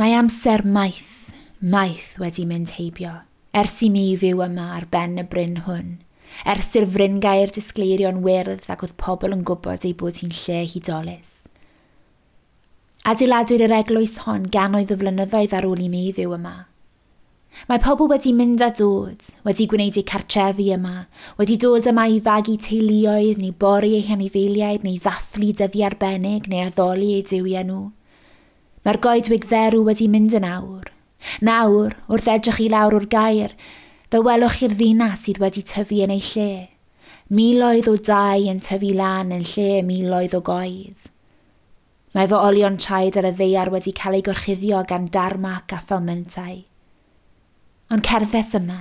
Mae amser maith, maith wedi mynd heibio, ers i mi fyw yma ar ben y bryn hwn, ers i'r fryngaer disgleirio'n wyrdd ac oedd pobl yn gwybod ei bod hi'n lle hudolus. Adeiladwyd yr eglwys hon gannoedd o flynyddoedd ar ôl i mi fyw yma. Mae pobl wedi mynd a dod, wedi gwneud eu cartrefi yma, wedi dod yma i fagu teuluoedd neu bori eu hanifeiliaid neu ddathlu dyddiau arbennig neu addoli eu duwiau nhw. Mae'r goedwig dderw wedi mynd yn awr. Nawr, wrth edrych i lawr o'r gaer, fe welwch chi'r ddinas sydd wedi tyfu yn ei lle. Miloedd o dai yn tyfu lan yn lle miloedd o goed. Mae fy olion traed ar y ddaear wedi cael eu gorchuddio gan darmac a phalmentau. Ond cerddes yma,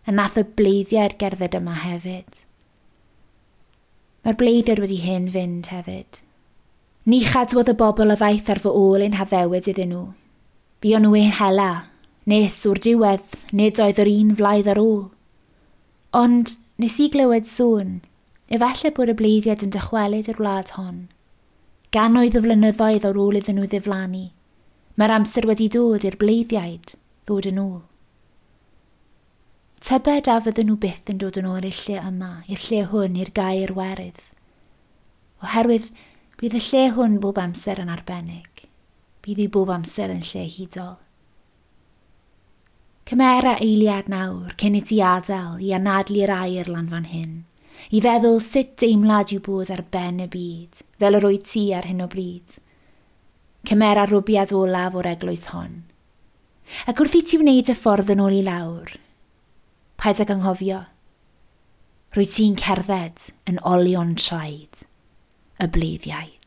a nath y bleiddiau'r gerdded yma hefyd. Mae'r bleiddiaid wedi hen fynd hefyd. Ni chadwodd y bobl a ddaeth ar fy ôl ein haddewid iddyn nhw. Buon nhw ein hela, nes o'r diwedd nid oedd yr un flaidd ar ôl. Ond nes i glywed sŵn, efallai bod y bleiddiaid yn dychwelyd i'r wlad hon. Gannoedd o flynyddoedd ar ôl iddyn nhw ddiflannu, mae'r amser wedi dod i'r bleiddiaid ddod yn ôl. Tybed a fydden nhw byth yn dod yn ôl i'r lle yma, i'r lle hwn, i'r gaer werydd. Oherwydd bydd y lle hwn bob amser yn arbennig. Bydd hi bob amser yn lle hudol. Cymera eiliad nawr cyn i ti adael i anadlu'r aer lan fan hyn, i feddwl sut deimlad yw bod ar ben y byd, fel yr wyt ti ar hyn o bryd. Cymera rwbiad olaf o'r eglwys hon. Ac wrth i ti wneud y ffordd yn ôl i lawr, paid ag anghofio, rwyt ti'n cerdded yn olion traed y bleiddiaid.